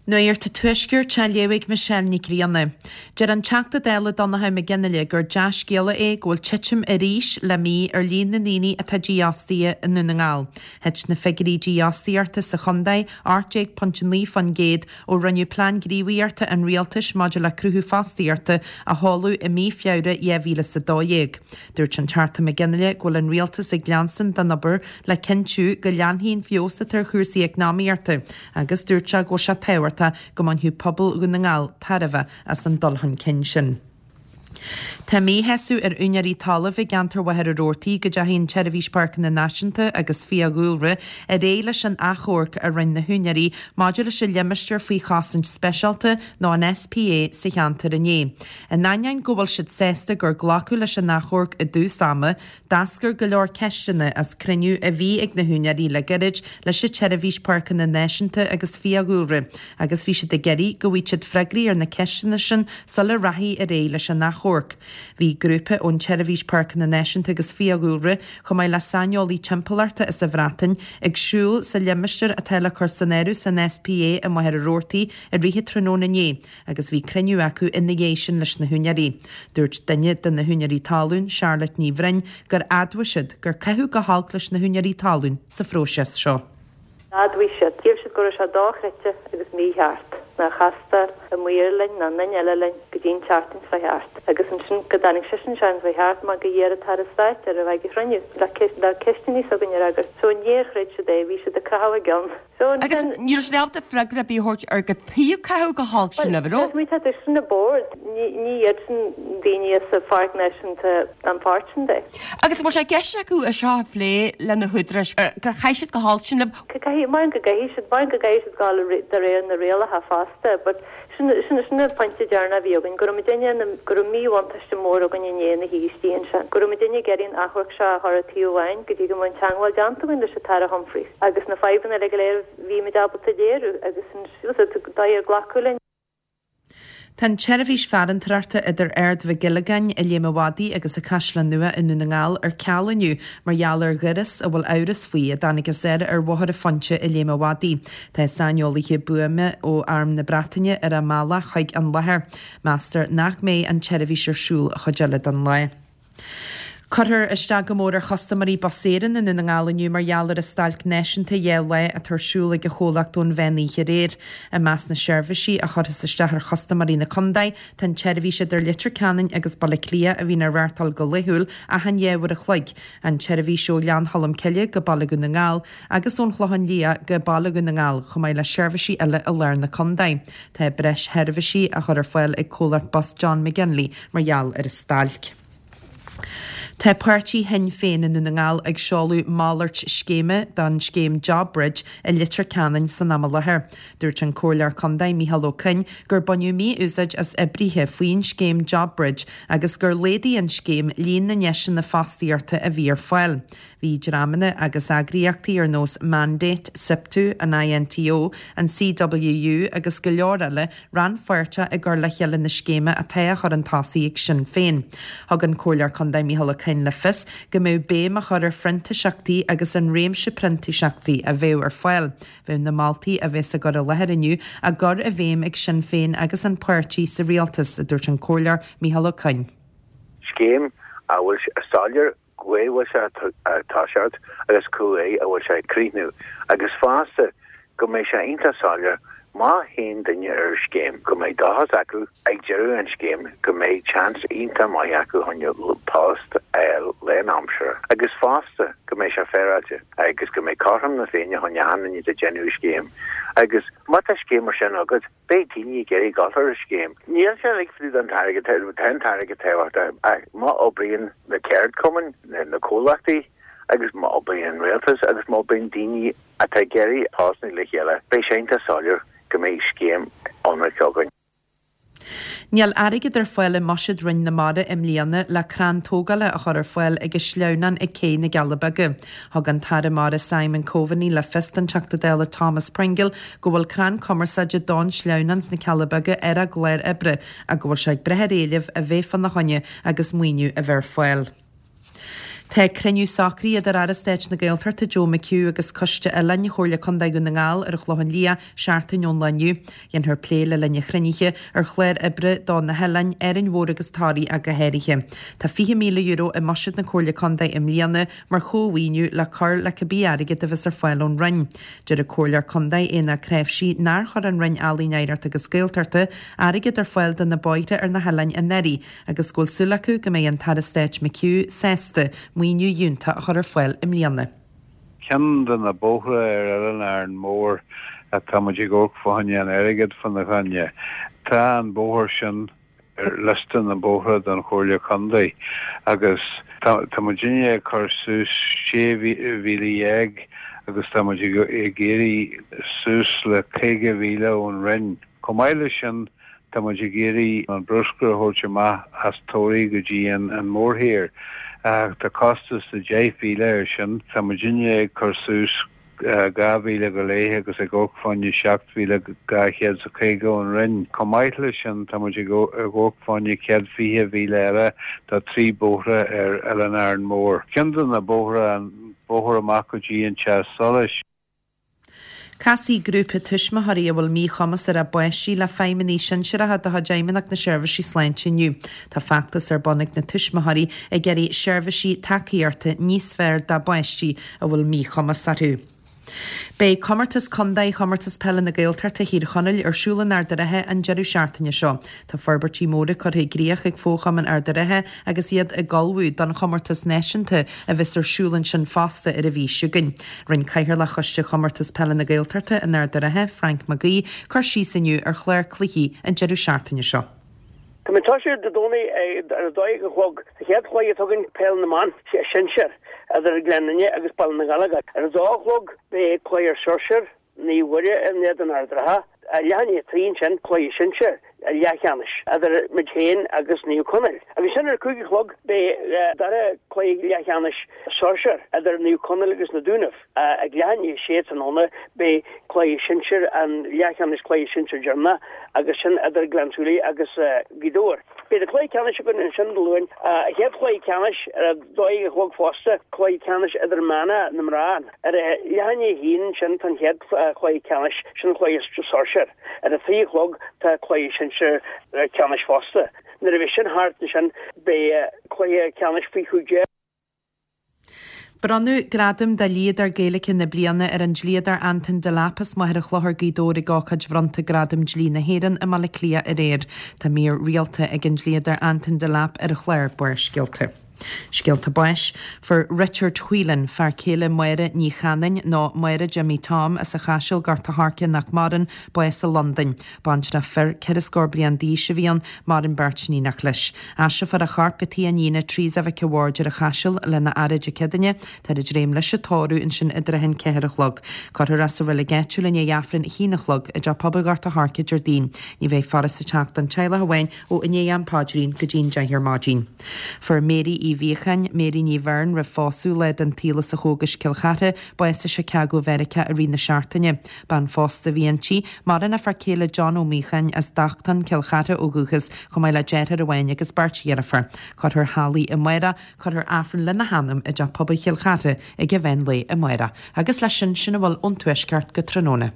Nuacht an Tuaiscirt á léamh ag Michelle Nic Grianna. Deir an Teachta Dála Donnchadh Mac Fhionnghaile gur dea-scéala é go bhfuil titim arís le mí ar líon na ndaoine atá dífhostaithe i nDún na nGall. Thit na figiúirí dífhostaíochta sa chontae 18.9% ó rinneadh Plean Gníomhaíochta an Rialtais maidir le Cruthú Fostaíochta a sheoladh i mí Feabhra 2012. Dúirt an Teachta Mac Fhionnghaile go bhfuil an Rialtas ag leanstan den obair le cinntiú go leanfaidh an feabhas atá ar chúrsaí eacnamaíochta agus dúirt sé go bhfuil sé tábhachtach go mbainfeadh pobal Dhún na nGall tairbhe as an dul chun cinn sin. Tá míshásamh ar úinéirí talaimh i gceantar Mhachaire Rabhartaigh go dteachaigh an tSeirbhís Páirceanna Náisiúnta agus Fiadhúlra ar aghaidh leis an achomharc a rinne na húinéirí maidir leis an limistéar faoi chosaint speisialta nó an SPA sa cheantar inné. In ainneoin go bhfuil siad sásta gur glacadh leis an achomharc i dtús ama, D'eascair go leor ceisteanna as cruinniú a bhí ag na húinéirí le gairid leis an tSeirbhís Páirceanna Náisiúnta agus Fiadhúlra agus bhí siad ag iarraidh go bhfaigheadh siad freagraí ar na ceisteanna sin sula rachfaí ar aghaidh leis an achomharc. Bhí grúpa ón tSeirbhís Páirceanna Náisiúnta agus Fiadhúlra, chomh maith le saineolaí timpeallachta as an Bhreatain, ag siúl sa limistéar atá le cur san áireamh san SPA i Machaire Rabhartaigh i rith an tráthnóna inné. agus bhí cruinniú acu ina dhiaidh sin leis na húinéirí. Dúirt duine de na húinéirí talún, Charlotte Ní Bhroin, gur admhaigh siad gur caitheadh go holc leis na húinéirí talún sa phróiseas seo. D'admhaigh siad. Shíl siad go raibh sé dochreidte agus mícheart nár chastáil an maor linn ná aon duine eile linn go dtí an tseachtain seo thart agus ansin go dtáinig seisean an tseachtain seo thart mar go iarr an tAire Stáit air a bheith ag an chruinniú le ceisteanna s'againn a fhreagairt. So níor chreid siad é, bhí siad ag croitheadh a gceann. So Agus ansin. ní raibh siad ábalta freagra ar bith a thabhairt ar cad chuige caitheadh go holc Bhuel, sin libh, an raibh? tá tá sin an bord, ní ní iad sin daoine as an Pháirc Náisiúnta an pháirt sin de. Agus an bhfuil sé i gceist acu é seo a phlé le na húdaráis, gur chaith siad go holc sin libh? Caithfidh, mar go gcaithfidh siad, mar go gcaithfidh siad gabháil de réir na rialacha fosta, but Sin, sin, sin an pointe deireanach a bhí againn, go raibh muidinne, go raibh míbhuntáiste mór againn inné ina shuí istigh ansin, go raibh muidinne ag iarraidh an achomharc seo a chur ar taobh amháin go dtí go mbeadh an teagmháil déanta againn leis an tAire Humphreys agus na fadhbanna uilig go léir a bhí muid ábalta a léiriú agus an dóigh ar glacadh linn. Tá an tseirbhís farantóireachta idir Ard Mhic Giollagáin i Léim an Mhadaidh agus an Caisleán Nua i nDún na nGall ar ceal inniu mar gheall ar dhoras a bhfuil amhras faoi a dtáinig as air ar Bhóthar an Phointe i Léim an Mhadaidh. Tá saineolaithe buama ó Arm na Breataine ar a mbealach chuig an láthair. Meastar nach mbeidh an tseirbhís ar siúl an chuid eile den lá. Cuirfear isteach go mór ar chustaiméirí Bus Éireann i nDún na nGall inniu mar gheall ar an stailc náisiúnta 2 lá atá ar siúl ag an chomhlacht ón mheán oíche aréir. I measc na seirbhísí a chuirfeas isteach ar chustaiméirí na contae tá an tseirbhís idir Leitir Ceanainn agus Baile Átha Cliath a bhíonn á reáchtáil go laethúil achan 2 uair a chloig, an tseirbhís ó Ghleann Cholm Cille go Baile Dhún na nGall, agus ón Chlochán Liath go Baile Dhún na nGall, chomh maith le seirbhísí eile i lár na contae. Tá breis sheirbhísí á chur ar fáil ag comhlacht bus John McGinley mar gheall ar an stailc. Tá páirtí Shinn Féin i nDún na nGall ag seoladh malairt scéime don scéim JobBridge i Leitir Ceanainn san am i láthair. Dúirt an Comhairleoir Contae Micheál Ó Coinn gur baineadh mí-úsáid as oibrithe faoin scéim JobBridge agus gur laghdaigh an scéim líon na ndeiseanna fostaíochta a bhí ar fáil. Bhí dreamanna agus eagraíochtaí ar nós Mandate, Siptu, an INTO, an CWU agus go leor eile rannpháirteach i gcur le chéile na scéime atá á chur chun tosaigh ag Sinn Féin. Thug an Comhairleoir Contae Micheál Ó Coinn le fios go mbeadh béim á chur ar phrintíseachtaí agus an réimse printíseachtaí a bheadh ar fáil. Bheadh na moltaí a bheas á gcur i láthair inniu á gcur i bhfeidhm ag Sinn Féin agus an páirtí sa rialtas, a dúirt an Comhairleoir Micheál Ó Coinn. Scéim a bhfuil soiléir cá bhfuil sé ag toiseacht agus cá fhaid a bhfuil sé ag críochnú agus fosta go mbeidh sé iontach soiléir má théann duine ar an scéim go mbeidh dóchas acu ag deireadh an scéim go mbeidh chance iontach maith acu chun post a fháil lánaimseartha agus fosta go mbeidh sé féaráilte agus go mbeidh cothrom na Féinne chun achan duine atá ag déanamh an scéim agus má tá scéim mar sin agat Beidh daoine ag iarraidh dul ar an scéim. Níl sé uilig fá dtaobh den t-airgead, tá an t-airgead tábhachtach ach má oibríonn na ceardchumainn, na comhlachtaí agus má oibríonn an rialtas agus má oibríonn daoine atá ag iarraidh postanna le chéile, beidh sé iontach soiléir go mbeidh scéim ionraic againn. Níl airgead ar fáil i mbuiséad Roinn na Mara i mbliana le crann tógála a chur ar fáil ag an sleamhnán ag Cé na gCealla Beaga. Thug an tAire Mara Simon Coveney le fios don Teachta Dála Thomas Pringle go bhfuil crann cumarsáide don sleamhnán sna Cealla Beaga ar a gclár oibre ach go bhfuil sé ag brath ar éileamh a bheith fána choinne agus maoiniú a bheith ar fáil. Tá cruinniú socraithe idir Aire Stáit na Gaeltachta Joe McHugh agus Coiste Oileáin Chomhairle Contae Dhún na nGall ar an Chlochán Liath seachtain ón lá inniu. Dhéanfar plé le linn an chruinnithe ar chlár oibre do na hoileáin, Árainn Mhór agus Toraigh ach go háirithe. Tá €20,000 i mbuiséad na Comhairle Contae i mbliana mar chómhaoiniú le cur le cibé airgead a bheas ar fáil ón Roinn. Deir an Comhairleoir Contae Aodhán Ó Cnáimhsí nár chuir an Roinn Ealaíon Oidhreachta agus Gaeltachta airgead ar fáil do na bóithre ar na hoileáin anuraidh agus go bhfuil súil acu go mbeidh an tAire Stáit McHugh sásta maoiniú fhiúntach a chur ar fáil i mbliana. Ceann de na bóithre ar Oileán Árainn Mhór atá muid ag amharc fá choinne an airgead fána choinne. Tá an bóthar sin ar liosta na mbóithre don Chomhairle Contae agus tá muidinne ag cur suas 16,000 agus tá muid ag iarraidh suas le 50,000 ón Roinn. Chomh maith leis sin, tá muid ag iarraidh an bruscar a thabhairt amach as Toraigh go dtí an mórthír. Tá costas de 10,000 air sin. Tá muidinne ag cur suas 2,000 go leith agus ag amharc fá choinne 7,250 ón Roinn. Chomh maith leis sin, tá muid ag amharc fá choinne 120,000 eile do thrí bóithre ar Oileán Árainn Mhór. Ceann de na bóithre, an bóthar amach go dtí an Teach Solais. Casfaidh grúpa tuismitheoirí a bhfuil míchumas ar a bpáistí le feidhmeannaigh sinsearacha de chuid Fheidhmeannacht na Seirbhísí Sláinte inniu. Tá feachtas ar bun ag na tuismitheoirí ag iarraidh seirbhísí tacaíochta níos fearr dá bpáistí a bhfuil míchumas orthu. Beidh Comórtas Contae Chomórtas Peile na Gaeltachta Thír Chonaill ar siúl in Ard a' Rátha an deireadh seachtaine seo. Tá forbairtí móra curtha i gcríoch ag Fo-Chumann Ard a' Rátha agus iad ag ullmhú don chomórtas náisiúnta a bheas ar siúl ansin fosta ar an mhí seo chugainn. Rinne Cathaoirleach Choiste Chomórtas Peile na Gaeltachta in Ard a' Rátha, Frank Mac Aoidh, cur síos inniu ar chlár cluichí an deireadh seachtaine seo. Tá muid ag tosú Dé Domhnaigh ar a 12 a chlog. An chéad chluiche atá againn Peil na mBan, Sinsear, idir Gleann Fhinne agus Baile na nGallóglach. Ar a dó a chlog beidh cluiche Sóisear, Naomh Mhuire in éadan Ard an Rátha. Leath i ndiaidh a 3 ansin cluiche Sinsear, leathcheannais, idir muid féin agus Naomh Conaill. Agus ansin ar a 5 a chlog beidh dara cluiche leathcheannais Sóisear idir Naomh Conaill agus Na Dúnaibh. Ag leath i ndiaidh a sé tráthnóna beidh cluiche sinsir, an leathcheannais cluiche sinsir deireanach agus sin idir Gleann tSúilí agus Gaoth Dobhair. Beidh na cluichí ceannais againn ansin Dé Luain. An chéad chluiche ceannais ar a dó dhéag a chlog fosta, cluiche ceannais idirmheánach na mná. Ar a leath i ndiaidh a haon ansin tá an chéad chluiche ceannais, sin an cluiche sóisear. Ar a trí a chlog tá cluiche sinsir ceannais fosta. Nuair a bheidh sin thart ansin beidh cluiche ceannais faoi 15. Bronnadh Gradam do Dhlíodóir Gaeilge na Bliana ar an dlíodóir Anton Delap as Machaire Chlochair, Gaoth Dobhair ag ócáid bhronnta Gradam Dlí na hÉireann i mBaile Átha Cliath aréir. Tá mír rialta ag an dlíodóir Anton Delap ar an chlár Barrscéalta. Scéalta báis. Fuair Richard Whelan, fear céile Máire Ní Chanainn, nó Máire Jimmy Tom as an Chaiseal, Gort a' Choirce nach maireann, bás i Londain. Baintreach fir, 14 scór bliain d'aois a bhí ann, maireann beirt níonach leis. Aistreofar a chorp go tigh a iníne, Teresa Mhic a' Bhaird ar an Chaiseal lena fhaire Dé Céadaoine. Táthar ag dréim leis an tórramh ansin i dtrátha an 4 a chlog. Cuirfear é sa reilig áitiúil i ndiaidh Aifreann a haon a chlog i dTeach Pobail Ghort a' Choirce Déardaoin. Ní bheidh faire sa teach don teaghlach amháin ó i ndiaidh am paidrín go dtí an 10 ar maidin. Fuair Mary Uí Mhíocháin, Mary Ní Bheirn roimh phósadh, lá den tsaol as an Chógais, Cill Chartha, bás i Chicago Mheiriceá i rith na seachtaine. Bean phósta a bhí inti. Maireann a fear céile John Ó Míocháin as Dachtán, Cill Chartha ó dhúchas, chomh maith le deartháir amháin agus beirt dheirfiúr. Cuirfear Holly amárach, cuirfear Aifreann lena hanam i dTeach Pobail Chill Chartha ag an mheán lae amárach. Agus leis sin, sin a bhfuil ón Tuaisceart go tráthnóna.